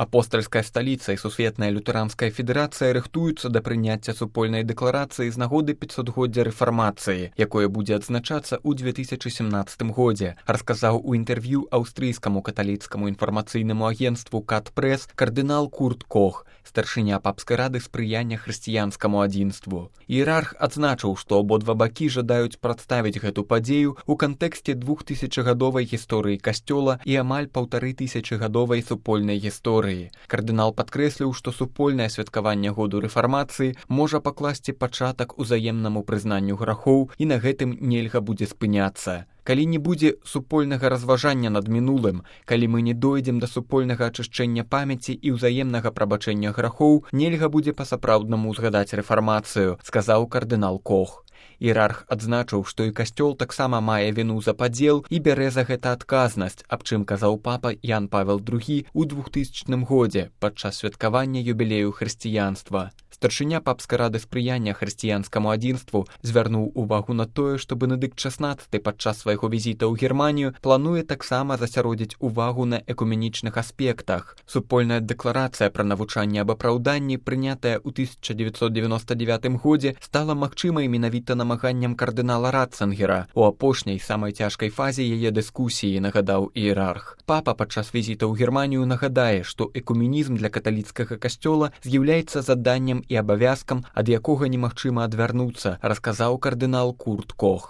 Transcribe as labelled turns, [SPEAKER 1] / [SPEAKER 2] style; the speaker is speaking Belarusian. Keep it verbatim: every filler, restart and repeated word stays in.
[SPEAKER 1] Апостальская сталіца і Сусветная лютэранская федэрацыя рыхтуюцца да прыняцця супольнай дэкларацыі з нагоды пяцьсотгоддзя рэфармацыі, якое будзе адзначацца ў две тысячы сямнаццатым годзе, расказаў у інтэрв'ю аўстрыйскаму каталіцкаму інфармацыйнаму агенцтву «Кат-прэс» кардынал Курт Кох, старшыня папскай рады спрыяння хрысціянскаму адзінству. Іерарх адзначыў, што абодва бакі жадаюць прадставіць гэту падзею ў кантэксце двухтысячагадовай гісторыі касцёла і амаль паўтары тысячагадовай супольнай гісторыі. Кардынал падкрэсліў, што супольнае святкаванне году рэфармацыі можа пакласці пачатак узаемнаму прызнанню грахоў і на гэтым нельга будзе спыняцца. Калі не будзе супольнага разважання над мінулым, калі мы не дойдзем да супольнага ачышчэння памяці і ўзаемнага прабачэння грахоў, нельга будзе па-сапраўднаму ўзгадаць рэфармацыю, сказаў кардынал Кох. Іерарх адзначыў, што і касцёл таксама мае віну за падзел і бярэ за гэта адказнасць, аб чым казаў папа Ян Павел другі ў двухтысячным годзе падчас святкавання юбілею хрысціянства. Старшыня папскай рады спрыяння хрысціянскаму адзінству звярнуў увагу на тое, што Бенедыкт шаснаццаты падчас свайго візіта ў Германію плануе таксама засяродзіць увагу на экуменічных аспектах. Супольная дэкларацыя пра навучанне аб апраўданні, прынятая ў тысяча дзевяцьсот дзевяноста дзевятым годзе, стала магчымай менавіта намаганням кардынала Ратцынгера у апошняй самай цяжкай фазе яе дыскусіі, нагадаў іерарх. Папа падчас візіта ў Германію нагадае, што экуменізм для каталіцкага касцёла з'яўляецца заданнем і абавязкам, ад якога немагчыма адвярнуцца, расказаў кардынал Курт Кох.